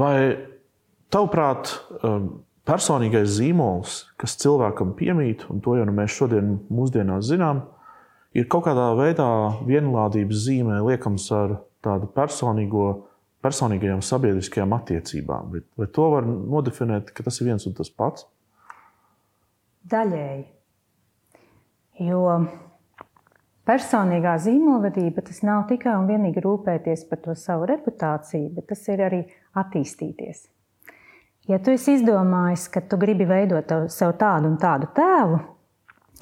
Vai tavuprāt, personīgais zīmols, kas cilvēkam piemīt, un to jau mēs šodien mūsdienās zinām, ir kaut kādā veidā vienlādības zīmē liekams ar tādu personīgajām sabiedriskajām attiecībām? Vai to var nodefinēt, ka tas ir viens un tas pats? Daļēji. Jo personīgā zīmolvedība tas nav tikai un vienīgi rūpēties par to savu reputāciju, bet tas ir arī attīstīties. Ja tu esi izdomājis, ka tu gribi veidot sev tādu un tādu tēlu,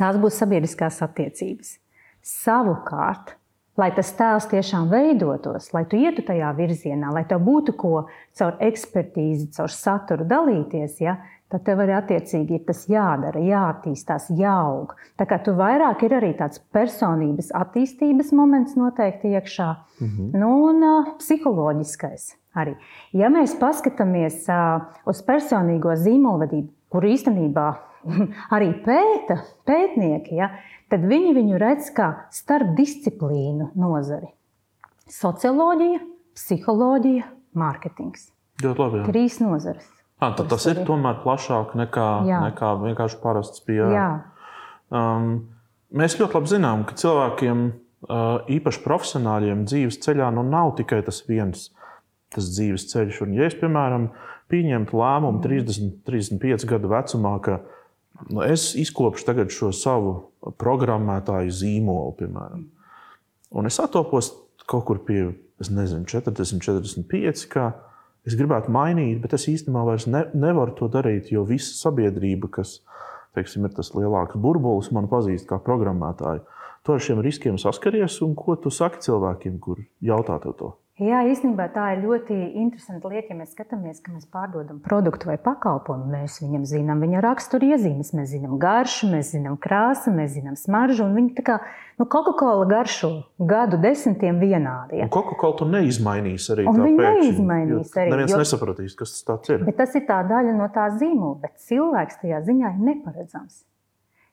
tās būs sabiedriskās attiecības. Savukārt, lai tas tēls tiešām veidotos, lai tu ietu tajā virzienā, lai tev būtu ko caur ekspertīzi, caur saturu dalīties, ja, tad tev arī attiecīgi ir tas jādara, jāattīstās, jāaug. Tā kā tu vairāk ir arī tāds personības attīstības moments noteikti iekšā, un psiholoģiskais arī. Ja mēs paskatāmies uz personīgo zīmolvedību, kuru īstenībā arī pēta pētnieki, ja, tad viņi viņu redz kā starpdisciplīnu nozari. Socioloģija, psiholoģija, mārketings. Ļoti labi, jā. 3 nozares. Tad tas ir tomēr plašāk nekā vienkārši parasts PR. Jā. Mēs ļoti labi zinām, ka cilvēkiem, īpaši profesionāļiem, dzīves ceļā nav tikai tas viens tas dzīves ceļš. Un, ja es, piemēram, pieņemtu lēmumu 30-35 gadu vecumā, ka es izkopšu tagad šo savu programmētāju zīmolu, piemēram, un es atopos kaut kur pie, 40-45, ka es gribētu mainīt, bet es īstenībā vairs nevaru to darīt, jo visa sabiedrība, kas, teiksim, ir tas lielāks burbulis, man pazīst kā programmētāju. Tu ar šiem riskiem saskaries, un ko tu saki cilvēkiem, kur jautā tev to? Jā, īstenībā tā ir ļoti interesanta lieta, ja mēs skatāmies, ka mēs pārdodam produktu vai pakalpojumu. Mēs viņam zinām viņa raksturiezīmes, mēs zinām garšu, mēs zinām krāsu, mēs zinām smaržu, un viņi tā kā, Coca-Cola garšo gadu desmitiem vienādi. Ja? Un Coca-Cola tu neizmainīs arī un tā viņi pēkšņi. neizmainīs arī. Neviens nesapratīs, kas tas tāds ir. Bet tas ir tā daļa no tā zīmola, bet cilvēks tajā ziņā ir neparedzams.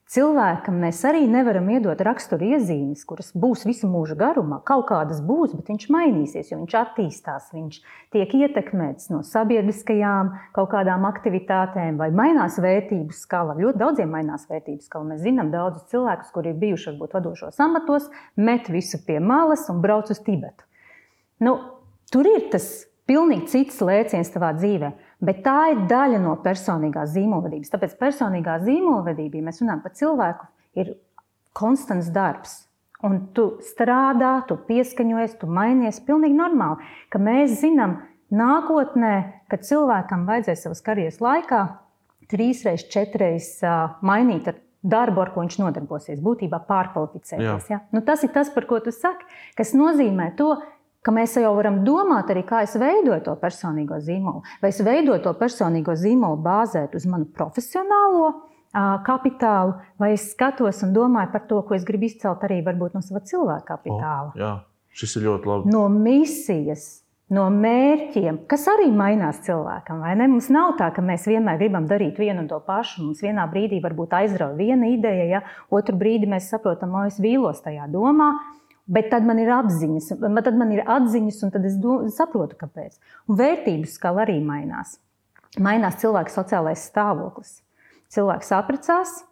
Cilvēkam mēs arī nevaram iedot raksturiezīmes, kuras būs visu mūžu garumā. Kaut kādas būs, bet viņš mainīsies, jo viņš attīstās, viņš tiek ietekmēts no sabiedriskajām kaut kādām aktivitātēm vai mainās vērtību skala. Ļoti daudziem mainās vērtību skala. Mēs zinām daudzus cilvēkus, kuri ir bijuši varbūt vadošos amatos, met visu pie malas un brauc uz Tibetu. Tur ir tas pilnīgi cits lēciens tavā dzīvē. Bet tā ir daļa no personīgās zīmolvedības. Tāpēc personīgā zīmolvedība, ja mēs runājam par cilvēku, ir konstants darbs. Un tu strādā, tu pieskaņojies, tu mainies pilnīgi normāli. Ka mēs zinām nākotnē, ka cilvēkam vajadzēs savas karjeras laikā 3-4 mainīt ar darbu, ar ko viņš nodarbosies. Būtībā pārkvalificēties. Ja? Tas ir tas, par ko tu saki, kas nozīmē to, ka mēs jau varam domāt arī, kā es veidoju to personīgo zīmolu. Vai es veidoju to personīgo zīmolu bāzēt uz manu profesionālo kapitālu, vai es skatos un domāju par to, ko es gribu izcelt arī varbūt no sava cilvēka kapitāla. Jā, šis ir ļoti labi. No misijas, no mērķiem, kas arī mainās cilvēkam, vai ne? Mums nav tā, ka mēs vienmēr gribam darīt vienu un to pašu. Mums vienā brīdī varbūt aizrauja viena ideja, ja? Otru brīdi mēs saprotam, es vīlos tajā domā. Bet tad man ir atziņas, un tad es saprotu, kāpēc. Un vērtību skala arī mainās. Mainās cilvēka sociālais stāvoklis. Cilvēks apprecās,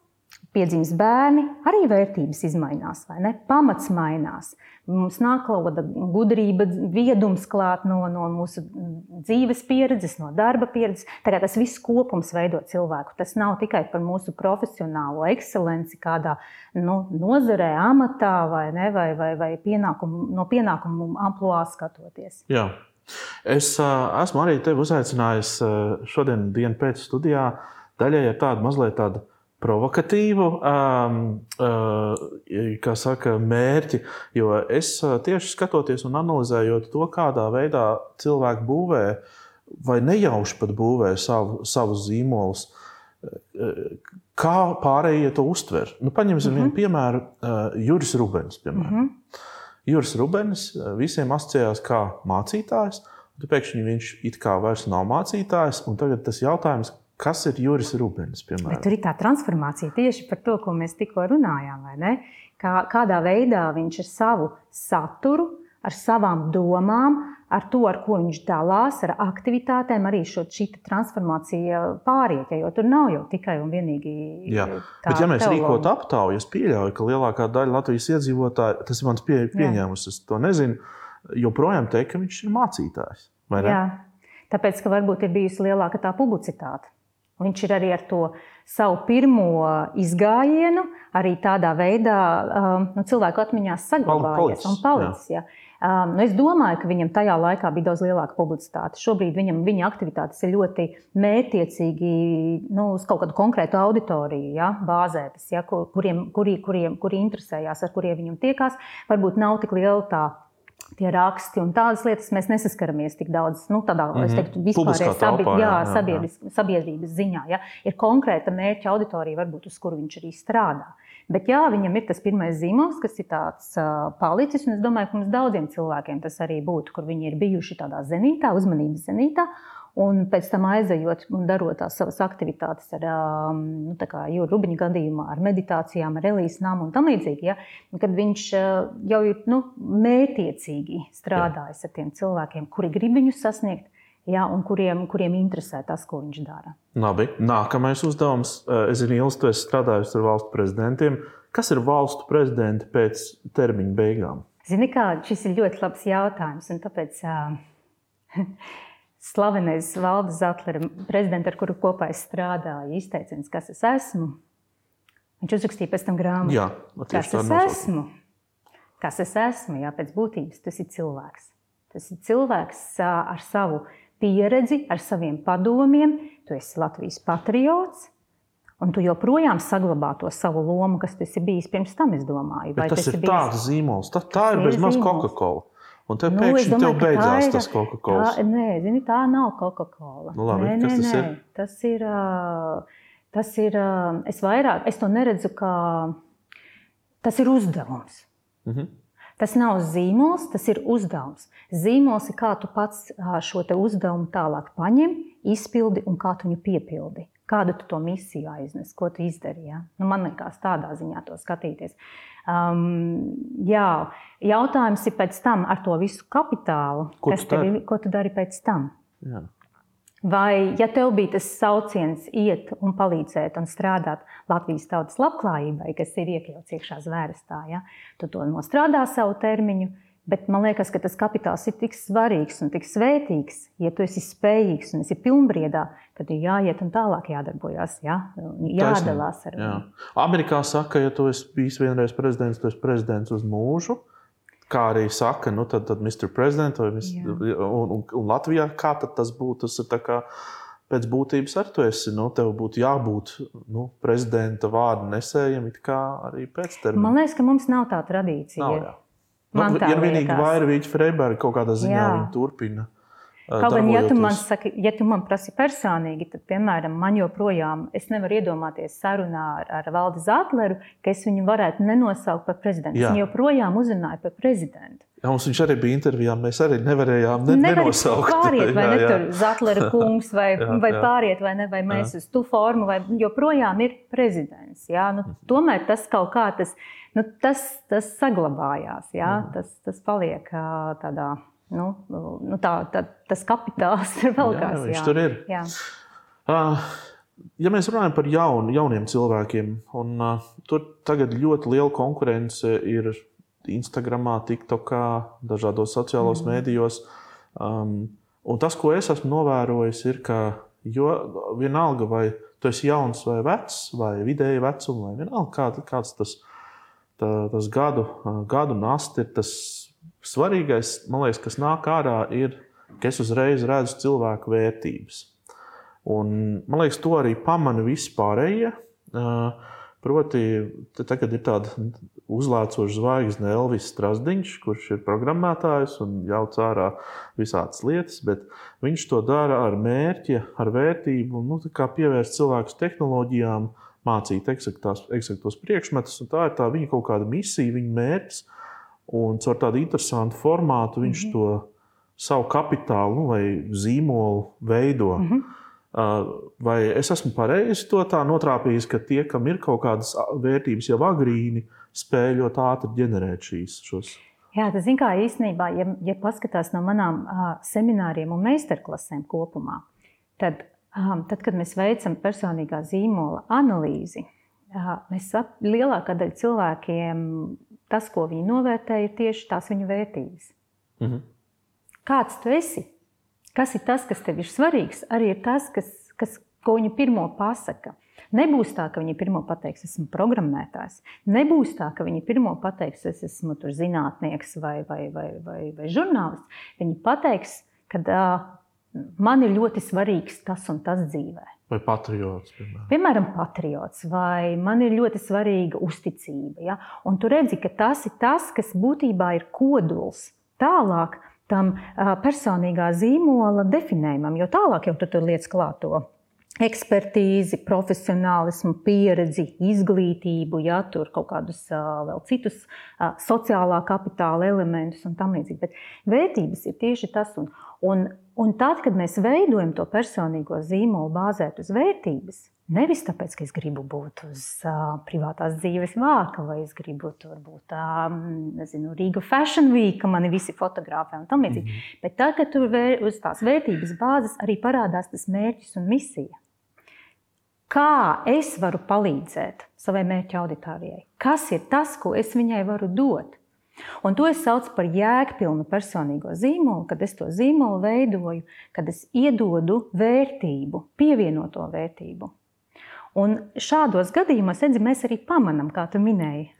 piedzimst bērni, arī vērtības izmainās, vai ne? Pamats mainās. Mums nāk kaut kāda gudrība, viedums klāt no mūsu dzīves pieredzes, no darba pieredzes. Tā kā tas viss kopums veido cilvēku. Tas nav tikai par mūsu profesionālo ekscelenci kādā nozarē, amatā vai no pienākumu ampluā skatoties. Jā. Es esmu arī tevi uzaicinājis šodien dienu pēc studijā. Daļai ir tāda mazliet tāda provokatīvu mērķi, jo es tieši skatoties un analizējot to, kādā veidā cilvēki būvē vai nejauši pat būvē savus zīmolus, kā pārējie to uztver. Paņemsim vienu piemēru, Juris Rubens, piemēram. Juris Rubens visiem asociējās kā mācītājs, un pēkšņi viņš it kā vairs nav mācītājs, un tagad tas jautājums, kas ir Juris Rubens, piemēram? Bet tur ir tā transformācija tieši par to, ko mēs tikko runājām, vai ne? Kādā veidā viņš ar savu saturu, ar savām domām, ar to, ar ko viņš dalās, ar aktivitātēm, arī šī transformācija pāriet, jo tur nav jau tikai un vienīgi tā bet, ja mēs rīkot aptauju, es pieļauju, ka lielākā daļa Latvijas iedzīvotāji, tas ir mans pieņēmums, es to nezinu, joprojām teikt, ka viņš ir mācītājs, vai ne? Jā, tāpēc, ka varbūt ir bijusi lielāka tā publicitāte. Viņš ir arī ar to savu pirmo izgājienu, arī tādā veidā cilvēku atmiņās saglabājies un palicis. Ja. Es domāju, ka viņam tajā laikā bija daudz lielāka publicitāte. Šobrīd viņa aktivitātes ir ļoti mērķiecīgi uz kaut kādu konkrētu auditoriju bāzētas, kuri interesējās, ar kuriem viņam tiekās. Varbūt nav tik liela tie raksti un tādas lietas mēs nesaskaramies tik daudz, tādā, es teiktu, vispārējā sabiedrības ziņā. Ja? Ir konkrēta mērķa auditorija, varbūt uz kuru viņš arī strādā. Bet viņam ir tas pirmais zīmols, kas ir tāds palicis, un es domāju, ka mums daudziem cilvēkiem tas arī būtu, kur viņi ir bijuši tādā zenītā, uzmanības zenītā, un pēc tam aizejot un darot tās savas aktivitātes ar Jūra Rubiņa gadījumā, ar meditācijām, ar Elīsnām un tam līdzīgi, kad viņš jau ir mērķiecīgi strādājis ar tiem cilvēkiem, kuri grib viņus sasniegt, un kuriem interesē tas, ko viņš dara. Labi, nākamais uzdevums. Es zinu, Ilis, tu esi strādājusi ar valstu prezidentiem. Kas ir valstu prezidenti pēc termiņa beigām? Zini kā, šis ir ļoti labs jautājums, un tāpēc slavenais Valda Zatlera prezidents, ar kuru kopā es strādāju, izteiciens, kas es esmu. Viņš uzrakstīja pēc tam grāmatu. Jā, kas es esmu? Kas es esmu? Jā, pēc būtības tas ir cilvēks. Tas ir cilvēks ar savu pieredzi, ar saviem padomiem. Tu esi Latvijas patriots, un tu joprojām saglabā to savu lomu, kas tu esi bijis pirms tam, es domāju. Bet tas ir tāds zīmols. Tā ir bez maz Coca-Cola. Un te pēkšņi tev beidzās tas Coca-Cola. Nē, zini, tā nav Coca-Cola. Labi, kas tas ir? Tas ir, es to neredzu kā, tas ir uzdevums. Tas nav zīmols, tas ir uzdevums. Zīmols ir, kā tu pats šo te uzdevumu tālāk paņem, izpildi un kā tu viņu piepildi. Kādu tu to misiju aiznes, ko tu izdari. Ja? Man liekas tādā ziņā to skatīties. Jautājums ir pēc tam ar to visu kapitālu, ko tu dari pēc tam. Jā. Vai, ja tev bija tas sauciens iet un palīdzēt un strādāt Latvijas tautas labklājībai, kas ir iekļauts iekšā zvērstā, tu to nostrādā savu termiņu, bet man liekas, ka tas kapitāls ir tik svarīgs un tik svētīgs, ja tu esi spējīgs un esi pilnbriedā, tad ir jāiet un tālāk jādarbojās, jādalās ar viņu. Amerikā saka, ja tu esi bijis vienreiz prezidents, tu esi prezidents uz mūžu. Kā arī saka, tad Mr. President un Latvijā, kā tad tas būtu? Tas ir tā kā pēc būtības ar tu esi, tev būtu jābūt prezidenta vārdu nesējam, it kā arī pēc termiņa. Man liekas, ka mums nav tā tradīcija. Nav, jā. Ir vienīgi Vairvīķa Freiberga kaut kādā ziņā viņa turpina. Kaut gan, ja tu man prasi personīgi, tad, piemēram, man joprojām, es nevaru iedomāties sarunā ar Valdi Zatleru, ka es viņu varētu nenosaukt par prezidentu. Es viņu joprojām uzrunāju par prezidentu. Jā, mums viņš arī bija intervijā, mēs arī nevarējām nenosaukt. Pāriet, vai ne tur Zatlera kungs, vai pāriet, vai ne, vai mēs uz tu formu, vai joprojām ir prezidents. Tomēr tas kaut kā, tas saglabājās, tas paliek tādā... tas kapitāls ir vēl kāds. Viņš tur ir. Jā. Ja mēs runājam par jauniem cilvēkiem, un tur tagad ļoti liela konkurence ir Instagramā, TikTokā, dažādos sociālos mēdījos. Un tas, ko es esmu novērojis, ir, ka vienalga, vai tu esi jauns vai vecs, vai vidēji vecuma, vai vienalga, kāds tas gadu nast ir tas svarīgais, man liekas, kas nāk ārā, ir, ka es uzreiz redzu cilvēku vērtības. Un, man liekas, to arī pamana vispārējie. Proti, tagad ir tāda uzlēcoša zvaigzne Elvis Strasdiņš, kurš ir programmētājs un jauc ārā visādas lietas, bet viņš to dara ar mērķi, ar vērtību, kā pievērst cilvēkus tehnoloģijām, mācīt eksaktos priekšmetus, un tā ir tā viņa kaut kāda misija, viņa mērķis. Un caur tādu interesantu formātu viņš to savu kapitālu vai zīmolu veido. Vai es esmu pareizi to tā notrāpījis, ka tie, kam ir kaut kādas vērtības jau agrīni, spēj ļoti ātri ģenerēt šos? Jā, tas zin kā īstenībā, ja paskatās no manām semināriem un meistarklasēm kopumā, tad, kad mēs veicam personīgā zīmola analīzi, lielākā daļa cilvēkiem tas, ko viņi novērtē, ir tieši tās viņu vērtības. Mhm. Kāds tu esi? Kas ir tas, kas tev ir svarīgs, arī ir tas, ko viņi pirmo pasaka. Nebūs tā, ka viņi pirmo pateiks, esmu programmētājs. Nebūs tā, ka viņi pirmo pateiks, es esmu tur zinātnieks vai žurnālists. Viņi pateiks, ka man ir ļoti svarīgs tas un tas dzīvē. Vai patriots, piemēram. Piemēram, patriots, vai man ir ļoti svarīga uzticība. Ja? Un tu redzi, ka tas ir tas, kas būtībā ir kodols tālāk tam personīgā zīmola definējumam, jo tālāk jau tu tur liec klāt to ekspertīzi, profesionālismu, pieredzi, izglītību, ja, tur kaut kādus vēl citus sociālā kapitāla elementus un tam līdzīgi. Bet vērtības ir tieši tas. Un tad, kad mēs veidojam to personīgo zīmolu bāzēt uz vērtības, nevis tāpēc, ka es gribu būt uz privātās dzīves vāka, vai es gribu tur būt, Riga Fashion Week, ka mani visi fotogrāfē un tam līdzīgi. Bet tad, kad tur uz tās vērtības bāzes arī parādās tas mērķis un misija. Kā es varu palīdzēt savai mērķa auditorijai? Kas ir tas, ko es viņai varu dot? Un to es saucu par jēgpilnu personīgo zīmolu, kad es to zīmolu veidoju, kad es iedodu vērtību, pievienoto vērtību. Un šādos gadījumos, mēs arī pamanam, kā tu minēji,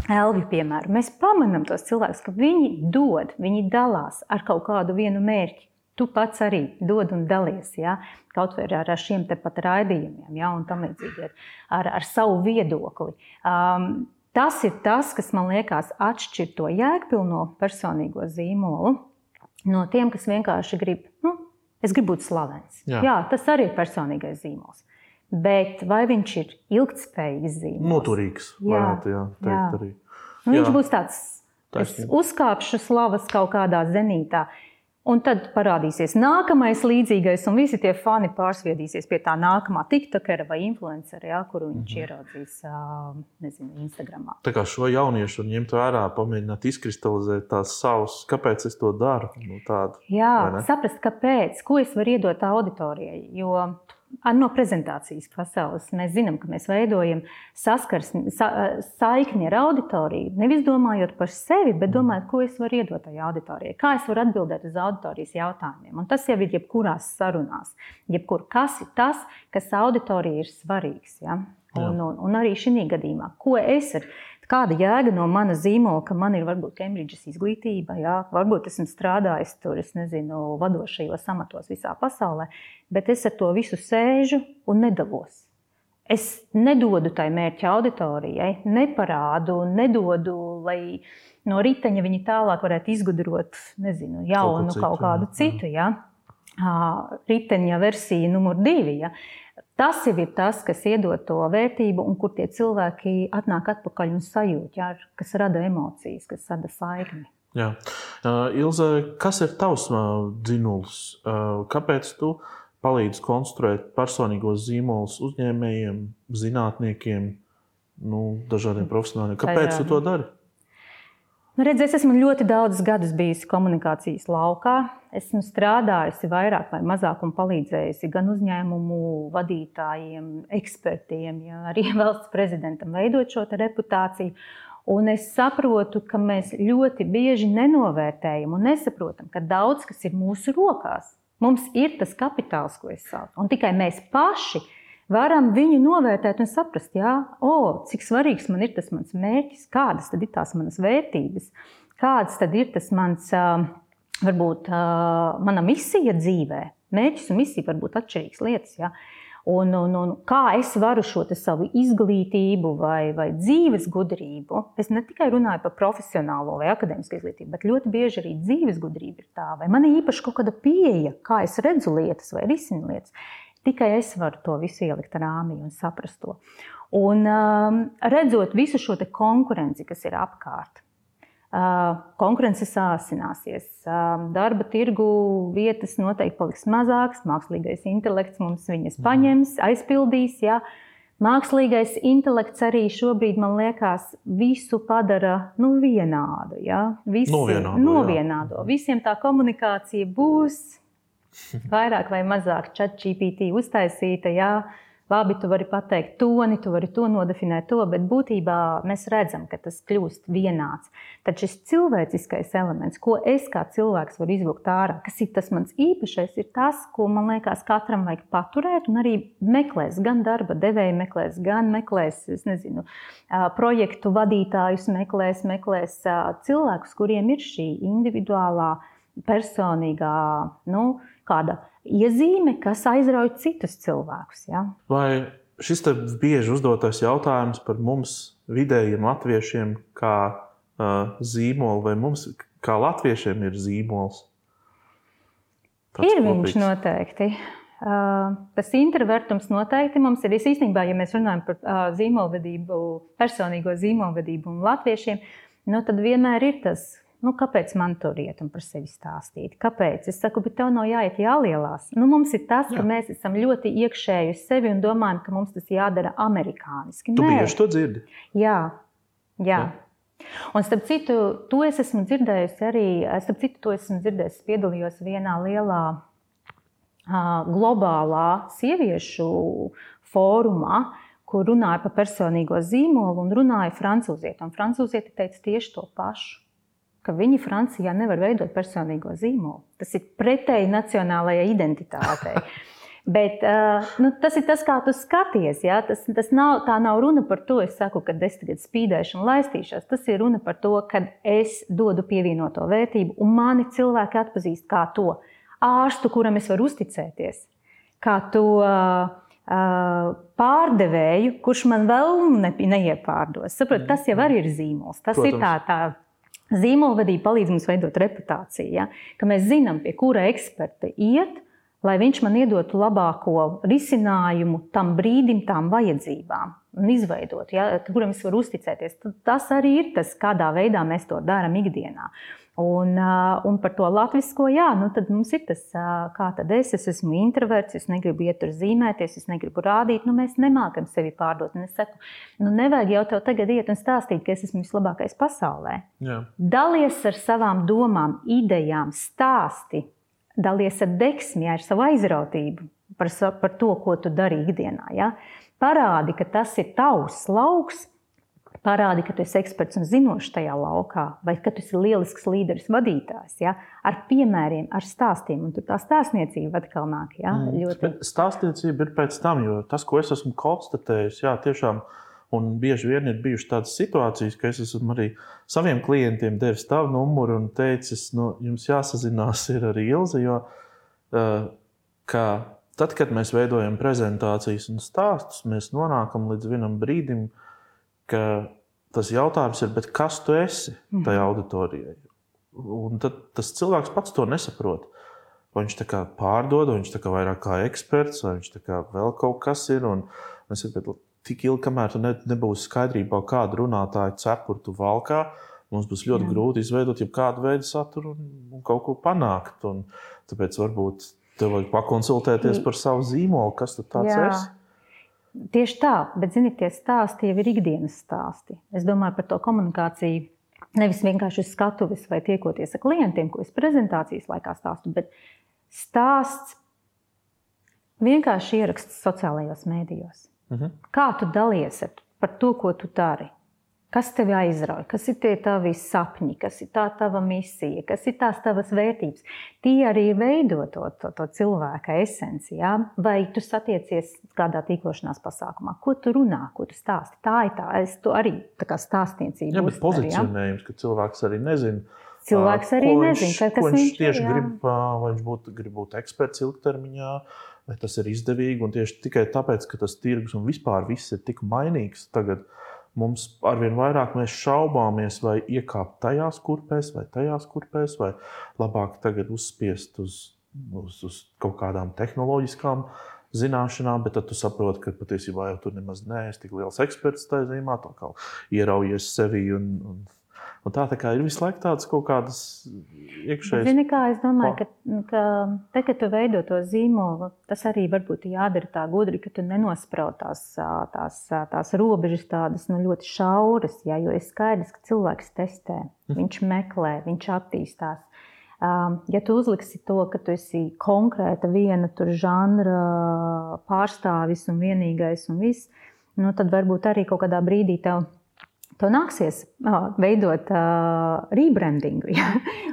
Elvi piemēru, mēs pamanam tos cilvēkus, ka viņi dod, viņi dalās ar kaut kādu vienu mērķi. Tu pats arī dod un dalies, ja? Kaut vai ar šiem tepat raidījumiem, ja? Un tam līdzīgi ar savu viedokli. Tas ir tas, kas man liekas atšķir to jēgpilno personīgo zīmolu no tiem, kas vienkārši grib, es gribu būt slavens. Jā, tas arī ir personīgais zīmols. Bet vai viņš ir ilgtspējīgs zīmols? Noturīgs, varētu teikt arī. Viņš būs tāds, es uzkāpšu slavas kaut kādā zenītā. Un tad parādīsies nākamais līdzīgais, un visi tie fani pārsviedīsies pie tā nākamā tiktokera vai influencera, kuru viņš ieraudzīs, Instagramā. Tā kā šo jauniešu var ņemt vērā, pamēģināt izkristalizēt tās savas, kāpēc es to daru? Saprast, kāpēc, ko es varu iedot auditorijai, jo no prezentācijas pasaules mēs zinām, ka mēs veidojam saikni ar auditoriju, nevis domājot par sevi, bet domājot, ko es varu iedot tajā auditorijai, kā es varu atbildēt uz auditorijas jautājumiem. Un tas jau ir jebkurās sarunās, kas ir tas, kas auditorijai ir svarīgs. Ja? Un arī šī gadījumā, ko es ar kāda jēga no mana zīmola, ka man ir varbūt Kembridžas izglītība, varbūt esmu strādājis tur, vadošajos amatos visā pasaulē, bet es ar to visu sēžu un nedalos. Es nedodu tai mērķa auditorijai, neparādu, nedodu, lai no riteņa viņi tālāk varētu izgudrot, jaunu kaut kādu citu, riteņa versija numur 2, Tas jau ir tas, kas iedod to vērtību un kur tie cilvēki atnāk atpakaļ un sajūt, kas rada emocijas, kas rada saikni. Jā. Ilze, kas ir tavs dzinulis? Kāpēc tu palīdzi konstruēt personīgos zīmolus uzņēmējiem, zinātniekiem, dažādiem profesionāļiem? Kāpēc tu to dari? Es esmu ļoti daudzus gadus bijusi komunikācijas laukā. Esmu strādājusi vairāk vai mazāk un palīdzējusi gan uzņēmumu vadītājiem, ekspertiem, arī valsts prezidentam veidot šo reputāciju. Un es saprotu, ka mēs ļoti bieži nenovērtējam un nesaprotam, ka daudz kas ir mūsu rokās. Mums ir tas kapitāls, ko es saucu. Un tikai mēs paši varam viņu novērtēt un saprast, cik svarīgs man ir tas mans mērķis, kādas tad ir tās manas vērtības, kādas tad ir tas mans, varbūt, mana misija dzīvē. Mērķis un misija var būt atšķirīgas lietas, Un kā es varu šo savu izglītību vai dzīves gudrību, es ne tikai runāju par profesionālo vai akadēmisku izglītību, bet ļoti bieži arī dzīves gudrība ir tā, vai man ir īpaši kaut kāda pieeja, kā es redzu lietas vai risinu lietas. Tikai es varu to visu ielikt rāmī un saprast to. Un redzot visu šo konkurenci, kas ir apkārt, konkurence sāsināsies, darba tirgu vietas noteikti paliks mazākas, mākslīgais intelekts mums viņas paņems, aizpildīs, Mākslīgais intelekts arī šobrīd, man liekas, visu padara vienādu. Ja? Novienādo. Visiem tā komunikācija būs vairāk vai mazāk ChatGPT uztaisīta. Ja? Labi, tu vari pateikt toni, tu vari to nodefinēt to, bet būtībā mēs redzam, ka tas kļūst vienāds. Tad šis cilvēciskais elements, ko es kā cilvēks varu izvilkt ārā, kas ir tas mans īpašais, ir tas, ko man liekas katram vajag paturēt un arī meklēs, gan darba devēji meklēs, gan meklēs, projektu vadītājus meklēs cilvēkus, kuriem ir šī individuālā, personīgā, kāda iezīme, kas aizrauj citus cilvēkus. Ja? Vai šis te bieži uzdotais jautājums par mums vidējiem latviešiem kā zīmolu, vai mums kā latviešiem ir zīmols? Ir viņš noteikti. Tas introvertums noteikti mums ir. Īstenībā, ja mēs runājam par zīmolvedību, personīgo zīmolvedību un latviešiem, tad vienmēr ir tas, kāpēc man tur iet un par sevi stāstīt? Kāpēc? Es saku, bet tev nav jāiet jālielās. Mums ir tas, ka mēs esam ļoti iekšēji uz sevi un domājam, ka mums tas jādara amerikāniski. Tu bieži to dzirdi? Jā. Un starp citu, to es esmu dzirdējusi arī, piedalījos vienā lielā globālā sieviešu fórumā, kur runāja par personīgo zīmolu un runāja francūzieti. Un francūzieti teica tieši to pašu, ka viņi Francijā nevar veidot personīgo zīmolu. Tas ir pretēji nacionālajai identitātei. Bet tas ir tas, kā tu skaties. Ja? Tā nav runa par to, es saku, ka es tagad spīdēšu un laistīšos. Tas ir runa par to, ka es dodu pievienoto vērtību un mani cilvēki atpazīst kā to ārstu, kuram es varu uzticēties. Kā to pārdevēju, kurš man vēl neiepārdos. Saprot, tas jau arī ir zīmols. Tas ir tā zīmolvedība palīdz mums veidot reputāciju, ja? Ka mēs zinām, pie kura eksperta iet, lai viņš man iedotu labāko risinājumu tam brīdim, tām vajadzībām un izveidot, ja? Kuram es varu uzticēties. Tas arī ir tas, kādā veidā mēs to darām ikdienā. Un par to latvisko, tad mums ir tas, kā tad es esmu introverts, es negribu iet tur zīmēties, es negribu rādīt, mēs nemākam sevi pārdot. Un es saku, nevajag jau tev tagad iet un stāstīt, ka es esmu vislabākais pasaulē. Jā. Dalies ar savām domām, idejām, stāsti, dalies ar deksmi, ar savu aizrautību par to, ko tu dari ikdienā. Ja? Parādi, ka tas ir tavs lauks, parādi, ka tu esi eksperts un zinošs tajā laukā, vai ka tu esi lielisks līderis, vadītājs, ja? Ar piemēriem, ar stāstiem. Un tur tā stāstniecība atkal nāk. Ja? Bet stāstniecība ir pēc tam, jo tas, ko es esmu konstatējis, tiešām, un bieži vien ir bijušas tādas situācijas, ka es esmu arī saviem klientiem devis tavu numuru un teicis, jums jāsazinās ir ar Ilzi, jo ka tad, kad mēs veidojam prezentācijas un stāstus, mēs nonākam līdz vienam brīdim, ka tas jautājums ir, bet kas tu esi tajā auditorijai? Un tad tas cilvēks pats to nesaprot. Vai viņš tā kā pārdod, vai viņš tā kā vairāk kā eksperts, vai viņš tā kā vēl kaut kas ir. Un es saku, tik ilgi, kamēr tu nebūsi skaidrībā, kādu runātāju cepuru tu valkā, mums būs ļoti grūti izveidot jau kādu veidu saturu un kaut ko panākt. Un tāpēc varbūt tev vajag pakonsultēties par savu zīmolu, kas tu tāds esi. Tieši tā, bet zini, tie stāsti jau ir ikdienas stāsti. Es domāju par to komunikāciju nevis vienkārši uz skatuves vai tiekoties ar klientiem, ko es prezentācijas laikā stāstu, bet stāsts vienkārši ieraksts sociālajos mēdījos. Kā tu dalies par to, ko tu dari? Kas tevi aizrauj? Kas ir tie tavi sapņi? Kas ir tā tava misija? Kas ir tās tavas vērtības? Tie arī veido to cilvēka esenci. Ja? Vai tu satiecies kādā tīklošanās pasākumā? Ko tu runā? Ko tu stāsti? Tā ir tā. Es to arī tā kā stāstniecību uztveru. Bet pozicionējums, ka cilvēks arī nezina. Cilvēks arī nezina, kas viņš tieši grib. Vai viņš grib būt eksperts ilgtermiņā, vai tas ir izdevīgi. Un tieši tikai tāpēc, ka tas tirgus un vispār viss ir tik mainīgs tagad, mums arvien vairāk mēs šaubāmies, vai iekāpt tajās kurpēs, vai labāk tagad uzspiest uz kaut kādām tehnoloģiskām zināšanām, bet tad tu saproti, ka patiesībā jau tur nemaz neesi tik liels eksperts tajā zīmā, tā kā ieraujies sevi un Un tā kā ir visu laiku tādas kaut kādas iekšējas. Zini kā, es domāju, ka te, kad tu veido to zīmolu, tas arī varbūt jādara tā gudri, ka tu nenospraud tās robežas tādas ļoti šauras, jo ir skaidrs, ka cilvēks testē, viņš meklē, viņš attīstās. Ja tu uzliksi to, ka tu esi konkrēta viena tur žanra pārstāvis un vienīgais un viss, tad varbūt arī kaut kādā brīdī tev nāksies veidot rebrandingu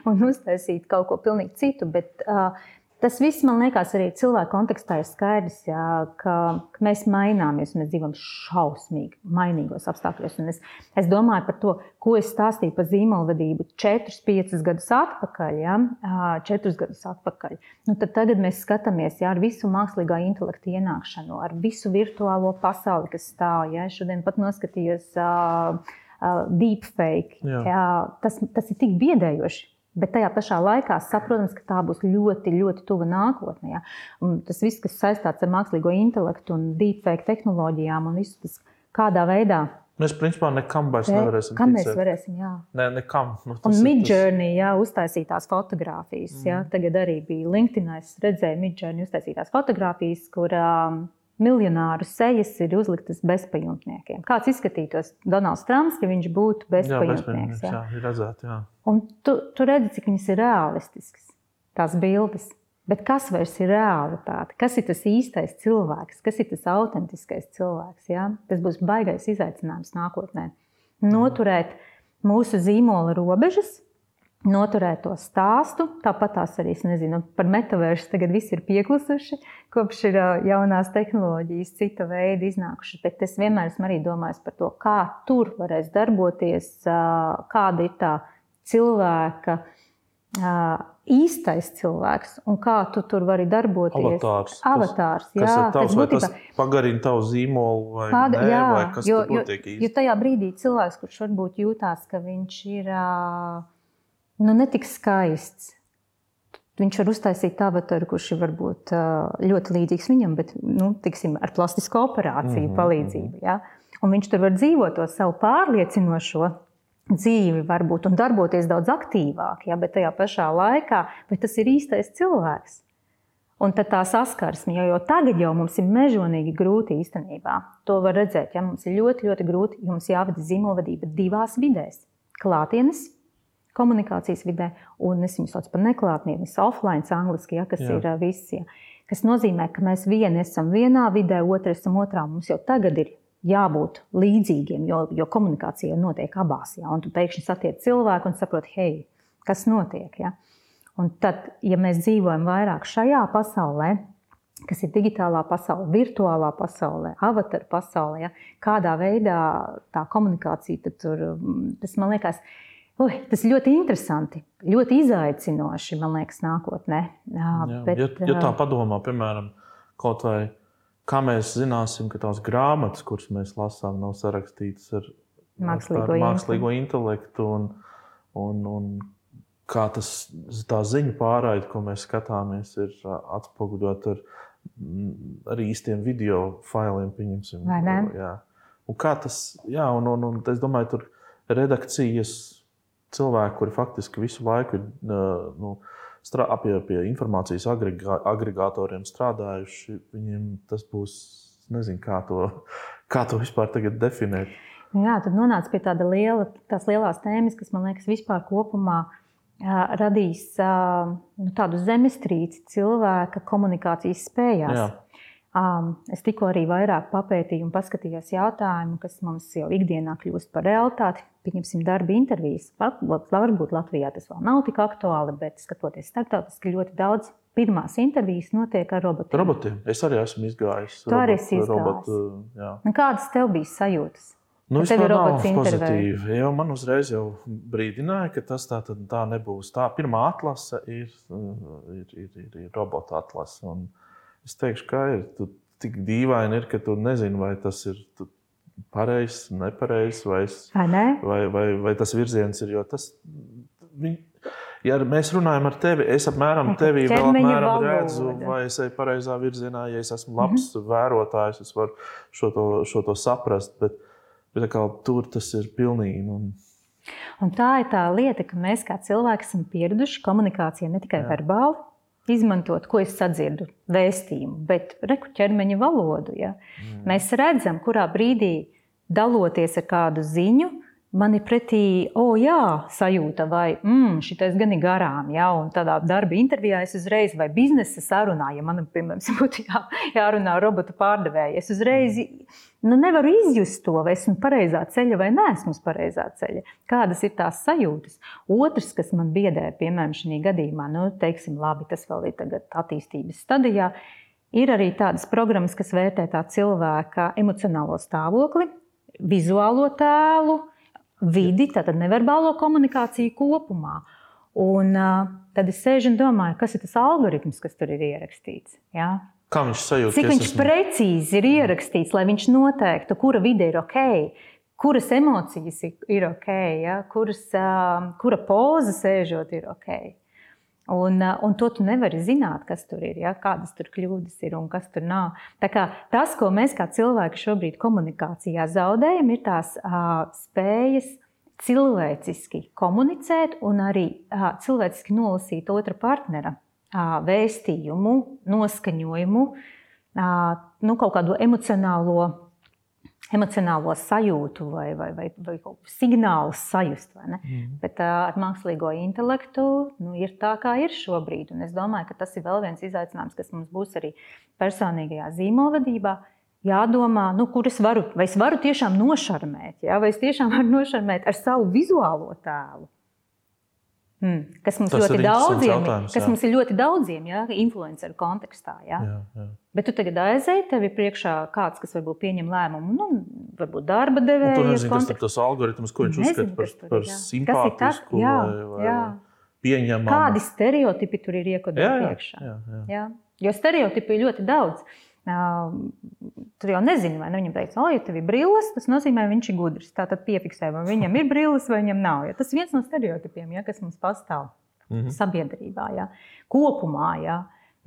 un uztaisīt kaut ko pilnīgi citu, bet tas viss, man liekas, arī cilvēku kontekstā ir skaidrs, ka mēs maināmies, mēs dzīvojam šausmīgi mainīgos apstākļos. Un es domāju par to, ko es stāstīju par zīmolvadību 4-5 gadus atpakaļ, 4 gadus atpakaļ. Tad tagad mēs skatāmies ar visu mākslīgā intelekta ienākšanu, ar visu virtuālo pasauli, kas stāv. Es šodien pat noskatījos deepfake. Tas ir tik biedējoši. Bet tajā pašā laikā saprotams, ka tā būs ļoti, ļoti tuva nākotnē. Un tas viss, kas saistāts ar mākslīgo intelektu un deepfake tehnoloģijām un visu tas, kādā veidā. Mēs principā nekam vairs nevarēsim ticēt. Mēs varēsim, jā. Nekam. Un Midjourney, uztaisītās fotogrāfijas. Tagad arī bija LinkedIn, es redzēju Midjourney uztaisītās fotogrāfijas, kur miljonāru sejas ir uzliktas bezpajumtniekiem. Kāds izskatītos Donalds Trumps, ja viņš būtu bezpajumtnieks? Jā, ir redzēt, jā. Un tu redzi, cik viņas ir realistiskas, tās bildes. Bet kas vairs ir realitāte? Kas ir tas īstais cilvēks? Kas ir tas autentiskais cilvēks? Tas būs baigais izaicinājums nākotnē. Noturēt mūsu zīmola robežas, noturēt to stāstu, tāpat tās arī, es nezinu, par metaversu tagad visi ir pieklusuši, kopš ir jaunās tehnoloģijas, cita veida iznākuši, bet es vienmēr esmu arī domājis par to, kā tur varēs darboties, kāda ir tā cilvēka, īstais cilvēks, un kā tu tur vari darboties. Avatārs, jā. Kas ir tavs, vai tas pagarina tavu zīmolu, vai nē, vai kas tur notiek īsti? Jo tajā brīdī cilvēks, kurš varbūt jūtās, ka viņš ir netik skaists. Viņš var uztaisīt avataru, kurš ir varbūt ļoti līdzīgs viņam, bet, tiksim, ar plastisku operāciju palīdzību. Ja? Un viņš tur var dzīvot to savu pārliecinošo dzīvi varbūt un darboties daudz aktīvāk, ja? Bet tajā pašā laikā, vai tas ir īstais cilvēks? Un tad tā saskarsme, jo tagad jau mums ir mežonīgi grūti īstenībā. To var redzēt, ja mums ir ļoti, ļoti grūti, jo mums jāvada zīmolvadība 2 vidēs. Klātienes komunikācijas vidē, un es viņu sauc par neklātnienes, offline angliski, kas ir visi. Kas nozīmē, ka mēs vieni esam vienā vidē, otri esam otrā. Mums jau tagad ir jābūt līdzīgiem, jo komunikācija notiek abās. Ja? Un tu pēkšņi satiec cilvēku un saproti, hei, kas notiek. Ja? Un tad, ja mēs dzīvojam vairāk šajā pasaulē, kas ir digitālā pasaule, virtuālā pasaulē, avataru pasaulē, ja? Kādā veidā tā komunikācija, tad tur, tas man liekas, tas ir ļoti interesanti, ļoti izaicinoši, man liekas, nākotnē. Ja tā padomā, piemēram, kaut vai, kā mēs zināsim, ka tās grāmatas, kuras mēs lasām, nav sarakstītas ar mākslīgo intelektu un kā tā ziņu pārraide, ko mēs skatāmies, ir atspoguļot ar īstiem video failiem, pieņemsim. Vai ne? Jā. Un kā tas, un es domāju, tur redakcijas cilvēki, kuri faktiski visu laiku ir pie informācijas agregātoriem strādājuši, viņiem tas būs, nezinu, kā to vispār tagad definēt. Jā, tad nonāca pie tās lielās tēmas, kas, man liekas, vispār kopumā radīs tādu zemestrīci cilvēka komunikācijas spējās. Jā. Es tikko arī vairāk papētīju un paskatījos jautājumu, kas mums jau ikdienā kļūst par realitāti. Pieņemsim darba intervijas. Varbūt Latvijā tas vēl nav tik aktuāli, bet skatoties starptautiski ļoti daudz pirmās intervijas notiek ar robotiem. Es arī esmu izgājis. Tu arī esi izgājis. Kādas tev bija sajūtas? Vispār nav pozitīvi. Man uzreiz jau brīdināja, ka tas tā nebūs. Tā pirmā atlase ir robota atlase. Un es teikšu, kā ir. Tu tik dīvaini ir, ka tu nezini, vai tas ir pareizs, nepareizs, vai tas virziens ir. Jo tas, ja mēs runājam ar tevi, es apmēram tevi vēl apmēram redzu, vai es eju pareizā virzienā, ja es esmu labs vērotājs, es varu šo to saprast, bet tur tas ir pilnīgi Un tā ir tā lieta, ka mēs kā cilvēki esam pieraduši komunikācijai ne tikai verbāli, izmantot, ko es sadzirdu, vēstījumu, bet ķermeņa valodu. Ja? Mēs redzam, kurā brīdī daloties ar kādu ziņu, man ir pretī, sajūta, vai šitais gan ir garām, ja? Un tādā darba intervijā es uzreiz, vai biznesa sarunā, ja man, piemēram, būtu jārunā robotu pārdevēja, es uzreiz nevaru izjust to, vai esmu pareizā ceļa vai neesmu uz pareizā ceļa. Kādas ir tās sajūtas? Otrs, kas man biedē, piemēram, šī gadījumā, teiksim, labi, tas vēl ir tagad attīstības stadijā, ir arī tādas programmas, kas vērtē tā cilvēka emocionālo stāvokli, vizuālo tēlu, vidi, tātad neverbālo komunikāciju kopumā. Un tad es sēžu un domāju, kas ir tas algoritms, kas tur ir ierakstīts. Ja? Kā viņš sajūt? Cik viņš precīzi ir ierakstīts, lai viņš noteiktu, kura vide ir ok, kuras emocijas ir ok, ja? Kura poza sēžot ir ok. Un to tu nevari zināt, kas tur ir, ja? Kādas tur kļūdas ir un kas tur nav. Tā kā tas, ko mēs kā cilvēki šobrīd komunikācijā zaudējam, ir tās spējas cilvēciski komunicēt un arī cilvēciski nolasīt otra partnera vēstījumu, noskaņojumu, kaut kādu emocionālo sajūtu vai signālu sajust. Vai ne? Bet ar mākslīgo intelektu ir tā, kā ir šobrīd. Un es domāju, ka tas ir vēl viens izaicinājums, kas mums būs arī personīgajā zīmolvadībā. Jādomā, vai es varu tiešām nošarmēt, ja? Vai es tiešām varu nošarmēt ar savu vizuālo tēlu. Kas mums ir ļoti daudziem, ja? Influenceru kontekstā. Ja? Jā. Bet tu tagad aizēji, tev ir priekšā kāds, kas varbūt pieņem lēmumu, varbūt darba devēja. Tu nezini, kas ir tas algoritms, ko viņš uzskata par simpātisku vai pieņemamu. Kādi stereotipi tur ir iekodēti priekšā. Jā. Jo stereotipi ir ļoti daudz. Tu jau nezini, vai viņam teiks, ja tev ir brilles, tas nozīmē, viņš ir gudrs. Tātad piefiksē, vai viņam ir brilles, vai viņam nav. Ja? Tas ir viens no stereotipiem, ja, kas mums pastāv sabiedrībā, ja? Kopumā. Ja?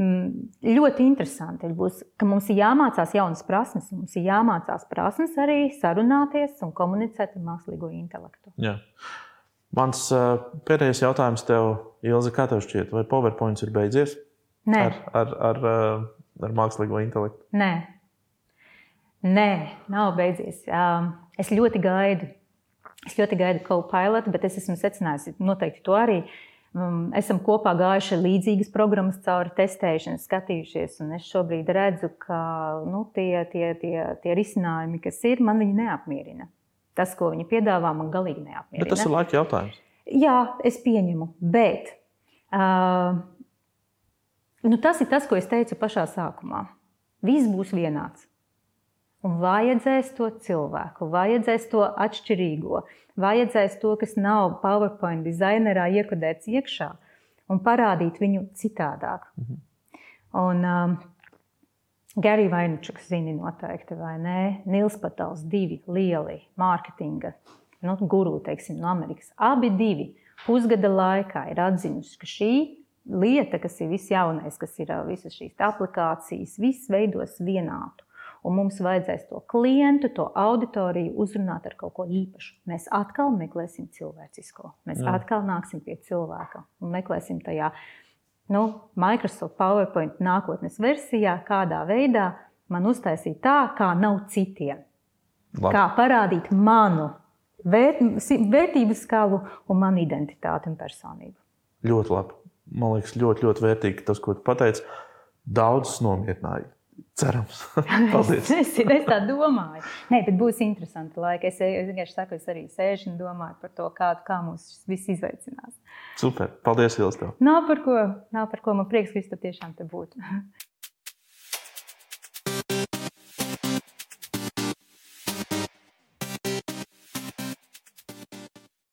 Ļoti interesanti būs, ka mums ir jāmācās jaunas prasmes. Mums ir jāmācās prasmes arī sarunāties un komunicēt ar mākslīgo intelektu. Jā. Mans pēdējais jautājums tev, Ilze, kā tev šķiet? Vai PowerPoints ir beidzies? Nē. Ar mākslīgo intelektu? Nē, nav beidzies. Es ļoti gaidu Copilot, bet es esmu secinājusi, noteikti to arī. Esam kopā gājuši līdzīgas programmas cauri testēšanu, skatījušies, un es šobrīd redzu, ka tie risinājumi, kas ir, man viņi neapmierina. Tas, ko viņi piedāvā, man galīgi neapmierina. Bet tas ir laika jautājums. Jā, es pieņemu, bet tas ir tas, ko es teicu pašā sākumā. Viss būs vienāds. Un vajadzēs to cilvēku, vajadzēs to atšķirīgo, vajadzēs to, kas nav PowerPoint dizainerā iekodēts iekšā, un parādīt viņu citādāk. Un Gary Vaynerchuks zini noteikti, vai ne? Nils Patals, 2 lieli mārketinga guru, teiksim, no Amerikas. Abi 2 pusgada laikā ir atzinuši, ka šī lieta, kas ir viss jaunais, kas ir visas šīs aplikācijas, viss veidos vienādu. Un mums vajadzēs to klientu, to auditoriju uzrunāt ar kaut ko īpašu. Mēs atkal meklēsim cilvēcisko. Mēs atkal nāksim pie cilvēka un meklēsim tajā Microsoft PowerPoint nākotnes versijā, kādā veidā man uztaisīt tā, kā nav citiem. Labi. Kā parādīt manu vērtību skalu un manu identitāti un personību. Ļoti labi. Man liekas, ļoti, ļoti vērtīgi tas, ko tu pateici. Daudz nomierināja. Cerams. Paldies. Es tā domāju. Nē, bet būs interesanti laika. Es vienkārši saku, es arī sēžu un domāju par to, kā mums viss izveicinās. Super. Paldies, Ilze, tev. Nav par ko. Man prieks, ka tu tiešām te būtu.